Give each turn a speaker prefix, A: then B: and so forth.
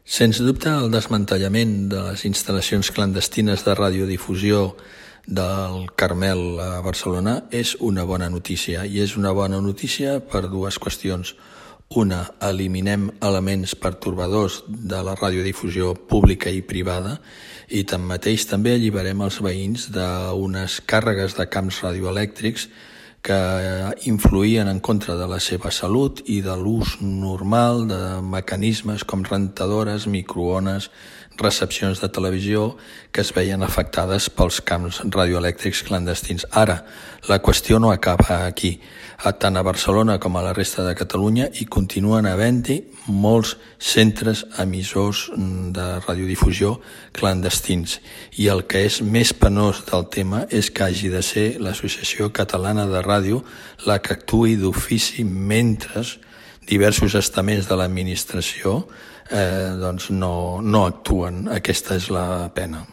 A: Sens dubte, el desmantellament de les instal·lacions clandestines de radiodifusió del Carmel a Barcelona és una bona notícia, i és una bona notícia per dues qüestions. Una, eliminem elements pertorbadors de la radiodifusió pública i privada i tanmateix també alliberem els veïns d'unes càrregues de camps radioelèctrics que influïen en contra de la seva salut i de l'ús normal de mecanismes com rentadores, microones, recepcions de televisió que es veien afectades pels camps radioelèctrics clandestins. Ara, la qüestió no acaba aquí. Tant a Barcelona com a la resta de Catalunya hi continuen havent-hi molts centres emissors de radiodifusió clandestins. I el que és més penós del tema és que hagi de ser l'Associació Catalana de Ràdio la que actuï d'ofici mentre diversos estaments de l'administració no actuen. Aquesta és la pena.